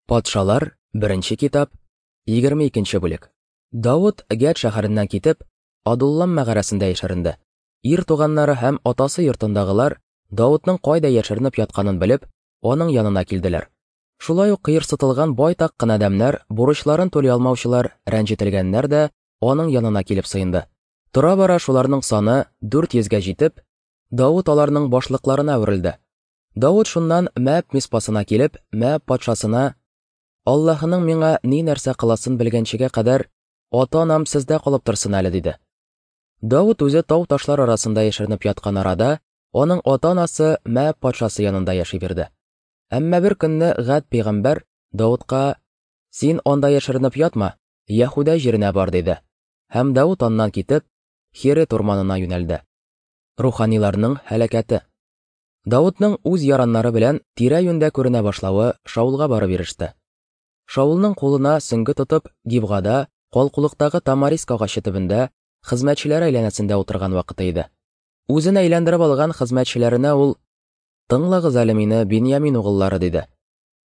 Патшалар, беренче китап, 22 бүлек. Давыт Гәт шәһәреннән китеп, Адуллам мәгарәсендә яшеренде. Ир туганнары һәм атасы йортындагылар Давытның кайда яшеренеп ятканын белеп, аның янына килделәр. Шулай ук кыерсытылган байтак кына адәмнәр, бурычларын түли алмаучылар, рәнҗетелгәннәр дә аның янына килеп сыенды. Тора-бара шуларның саны 400 гә җитеп, Давыт аларның башлыкларына әверелде. Давыт шуннан Мәаб Миспасына килеп, Мәаб патшасына: Аллаһының миңа ни нәрсә кыласын белгәнчегә кадәр ата-анам сездә калып торсын әле, диде. Давыт үзе тау-ташлар арасында яшеренеп яткан арада, аның ата-анасы Мәаб патшасы янында яши бирде. Әмма бер көнне Гад пәйгамбәр Давытка: "Син анда яшеренеп ятма, Яһүдә җиренә бар", диде. Һәм Давыт аннан китеп, Херет урманына юнәлде. Руханиларның һәлакәте. Давытның үз яраннары белән тирә-юньдә күренә башлавы Шаулга барып иреште. Шаулның кулына сөңге тотып, Гибгада, калкулыктагы тамариск агачы төбендә, хезмәтчеләре әйләнәсендә утырган вакыты иде. Үзен әйләндереп алган хезмәтчеләренә ул: "Тыңлагыз әле мине, Беньямин угыллары", диде.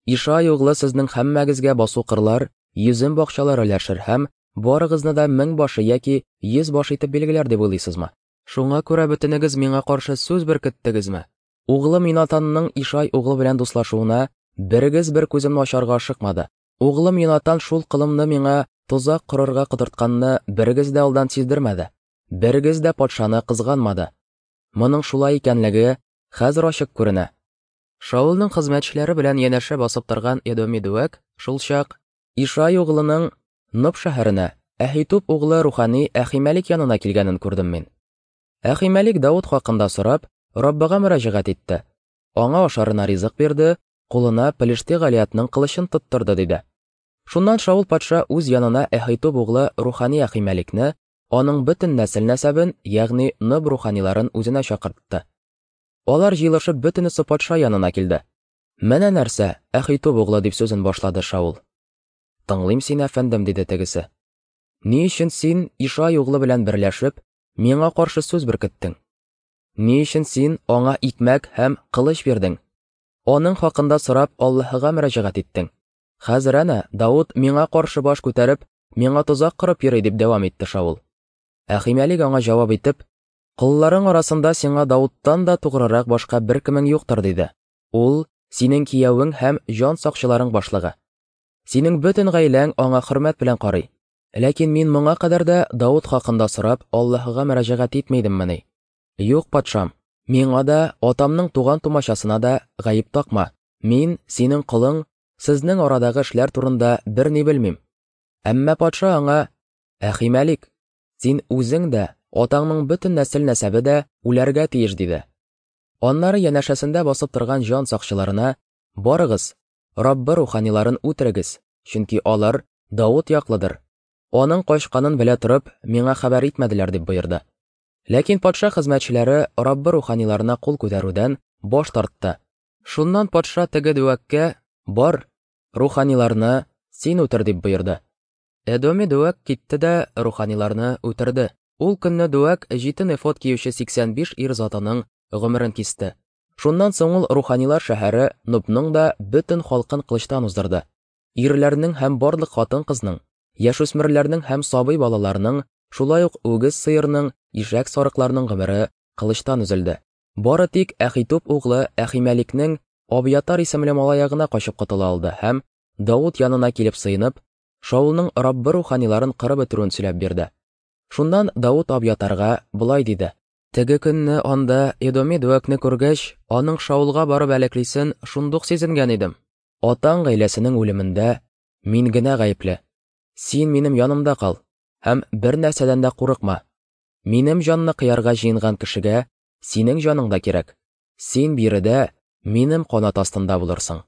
"Ишай углы сезнең һәммәгезгә басу-кырлар, йөзем бакчалары өләшер һәм барыгызны да меңбашы яки йөзбашы итеп билгеләр дип уйлыйсызмы? Шуңа күрә бөтенегез миңа каршы сүз беркеттегезме? Углым Йонатанның Ишай углы белән дуслашуына берегез бер күземне ачарга ашыкмады. Углым Йонатан шул колымны миңа тозак корырга котыртканны берегез дә алдан сиздермәде. Берегез дә патшаны кызганмады. Моның шулай икәнлеге хәзер ачык күренә. Шаулның хезмәтчеләре белән янәшә басып торган Эдоми Дүәк шулчак Ишай углының Ноб шәһәренә, Әһитуб углы рухани Әхимәлик янына килгәнен күрдем мин. Әхимәлик Давыт хакында сорап, Раббыга мөрәҗәгать итте. Аңа ашарына ризык бирде, кулына Пелешти Галиятның кылычын тоттырды, диде. Шуннан Шаул патша үз янына Әһитуб углы рухани Әхимәликне, аның бөтен нәсел-нәсәбен, ягъни Ноб руханиларын үзенә чакыртты. Алар җыелышып бөтенесе патша янына килде. Менә нәрсә, Әхитуб углы, дип сүзен башлады Шаул. Тыңлыйм сине, әфәндем, диде тегесе. Ни өчен син Ишай углы белән берләшеп, миңа каршы сүз беркеттең? Ни өчен син аңа икмәк һәм кылыч бирдең? Аның хакында сорап Аллаһыга мөрәҗәгать иттең. Хәзер әнә Давыт миңа каршы баш күтәреп, миңа тозак корып йөри, дип дәвам итте Шаул. Әхимәлик аңа җавап итеп, Колларың арасында сиңа Давыттан да тугрырак башка беркемең юктыр, диде. Ул синең киявең һәм җан сакчыларың башлыгы. Синең бөтен гаиләң аңа хөрмәт белән карый. Ләкин мин моңа кадәр дә Давыт хакында сорап Аллаһыга мөрәҗәгать итми идеммени? Юк, патшам, миңа да, атамның туган-тумачасына да гаеп такма. Мин, синең колың, сезнең арадагы эшләр турында берни белмим. Әмма патша аңа: Әхимәлик, син үзең дә, атаңның бөтен нәсел-нәсәбе дә үләргә тиеш, диде. Аннары янәшәсендә басып торган җан сакчыларына: Барыгыз, Раббы руханиларын үтерегез, чөнки алар Давыт яклыдыр. Аның качканын белә торып, миңа хәбәр итмәделәр, дип боерды. Ләкин патша хезмәтчеләре Раббы руханиларына кул күтәрүдән баш тартты. Шуннан патша теге дәүәккә: Бар, руханиларны син үтер, дип боерды. Эдоми дәүәк китте дә руханиларны үтерде. Ул көнне дәүәк җитен эфод киюче 85 ир затының гомерен кисте. Шуннан соң ул руханилар шәһәре Нобның да бөтен халкын кылычтан уздырды. Ирләрнең һәм барлык хатын-кызның, яшүсмерләрнең һәм сабый балаларның, шулай ук үгез сыерның, ишәк сарыкларның гомере кылычтан өзелде. Бары тик Әхитуб углы Әхимәликнең Абиятар исемле малае гына качып котыла алды һәм, Давыт янына килеп сыенып, Шаулның Раббы руханиларын кырып бетерүен сөйләп бирде. Шуннан Давыт Абиятарга болай диде: Теге көнне анда Эдоми Дүәкне күргәч, аның Шаулга барып әләклисен шундук сизенгән идем. Атаң гаиләсенең үлемендә мин генә гаепле. Син минем янымда кал һәм бер нәрсәдән дә курыкма. Минем җанны кыярга җыенган кешегә синең җаның да кирәк. Син биредә минем канат астында булырсың.